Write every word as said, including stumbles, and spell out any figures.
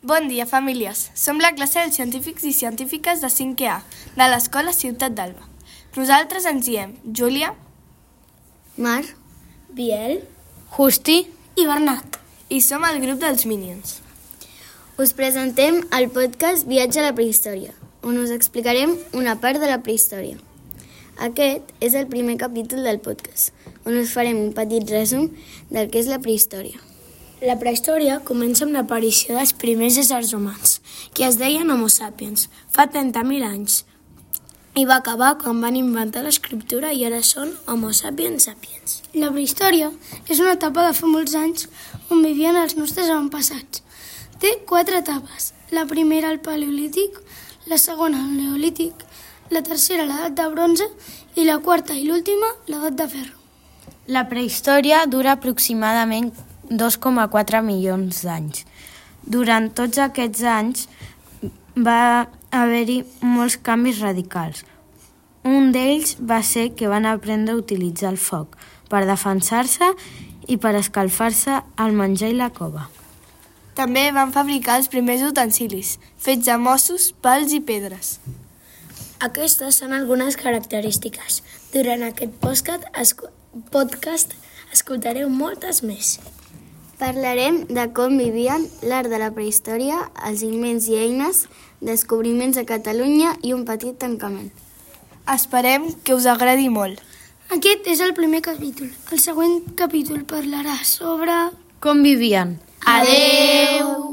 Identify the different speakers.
Speaker 1: Bon dia, famílies. Som la classe dels científics i científiques de cinquè A, de l'Escola Ciutat d'Alba. Nosaltres ens diem Júlia,
Speaker 2: Mar,
Speaker 3: Biel,
Speaker 2: Justi
Speaker 3: i Bernat.
Speaker 1: I som el grup dels Minions.
Speaker 2: Us presentem el podcast Viatge a la prehistòria, on us explicarem una part de la prehistòria. Aquest és el primer capítol del podcast, on us farem un petit resum del que és la prehistòria.
Speaker 3: La prehistòria comença amb l'aparició dels primers éssers humans, que es deien Homo sapiens, fa trenta mil anys, i va acabar quan van inventar l'escriptura i ara són Homo sapiens sapiens.
Speaker 4: La prehistòria és una etapa de fa molts anys on vivien els nostres avantpassats. Té quatre etapes. La primera, el paleolític, la segona, el neolític, la tercera, l'edat de bronze, i la quarta i l'última, l'edat de ferro.
Speaker 5: La prehistòria dura aproximadament dos coma quatre milions d'anys. Durant tots aquests anys va haver-hi molts canvis radicals. Un d'ells va ser que van aprendre a utilitzar el foc per defensar-se i per escalfar-se al menjar i la cova.
Speaker 1: També van fabricar els primers utensilis, fets de mossos, pals i pedres.
Speaker 3: Aquestes són algunes característiques. Durant aquest podcast, escu- podcast escoltareu moltes més.
Speaker 2: Parlarem de com vivien l'art de la prehistòria, els invents i eines, descobriments a Catalunya i un petit tancament.
Speaker 1: Esperem que us agradi molt.
Speaker 4: Aquest és el primer capítol. El següent capítol parlarà sobre...
Speaker 5: Com vivien?
Speaker 3: Adeu!